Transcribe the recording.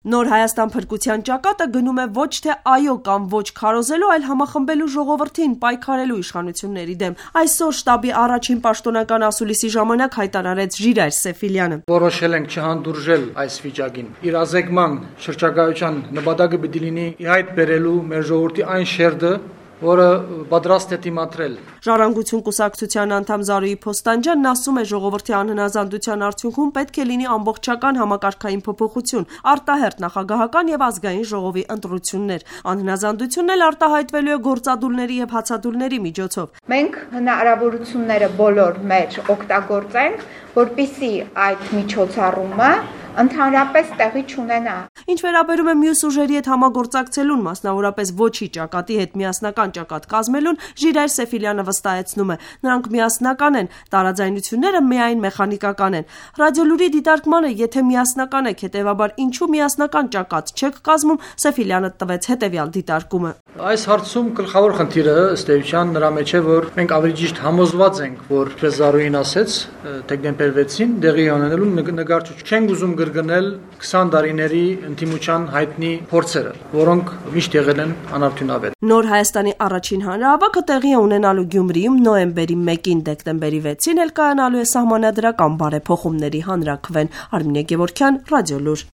Նոր Հայաստան փրկության ճակատը գնում է ոչ թե այո կամ ոչ քարոզելու, այլ համախմբելու ժողովրդին, պայքարելու իշխանությունների դեմ։ Այսօր շտաբի առաջին պաշտոնական ասուլիսի ժամանակ հայտարարեց Ժիրայր Սեֆիլյանը։ Որոշել ենք չհանդուրժել այս վիճակին։ Իրազեկման շրջագայության նպատակը պիտի լինի ի հայտ բերելու մեր ժողովրդի այն շերտը, որը պատրաստ է դիմադրել։ Ժառանգություն կուսակցության անդամ Զարուհի Փոստանջյանն ասում է, ժողովրդի անհնազանդության արդյունքում պետք է լինի ամբողջական համակարգային փոփոխություն, արտահերթ նախագահական եւ ազգային ժողովի ընտրություններ։ Անհնազանդությունն էլ արտահայտվելու է գործադուլների եւ հացադուլների միջոցով։ Մենք հնարավորությունները բոլոր մեր օգտագործենք, որպեսզի այդ միջոցառումը ընդհանրապես տեղի չունենա։ Ինչ վերաբերում է մյուս ուժերի հետ համագործակցելուն, մասնավորապես ոչի ճակատի հետ միասնական ճակատ կազմելուն, Ժիրայր Սեֆիլյանը վստահեցնում է, նրանք միասնական են, տարաձայնությունները միայն մեխանիկական են։ Ռադիոլուրի դիտարկմանը, եթե միասնական եք, հետևաբար ինչու միասնական ճակատ չեք կազմում, Սեֆիլյանը տվեց հետևյալ դիտարկումը։ Այս հարցում գլխավոր խնդիրը ըստ էության նրա մեջ է, որ մենք ավելի ճիշտ համոզված ենք, որ Զարուհին ասեց դեկտեմբեր 6-ին տեղի ունենալու նկարչություն չենք ուզում կրկնել 20 տարիների ընդդիմության հայտնի փորձերը, որոնք միշտ եղել են անարդյունավետ։ Նոր Հայաստանի առաջին հանրահավաքը տեղի է ունենալու Գյումրիում նոյեմբերի 1-ին, դեկտեմբերի 6-ին էլ կայանալու է սահմանադրական բարեփոխումների հանրաքվեն։ Արմինե Գևորգյան, Ռադիոլուր։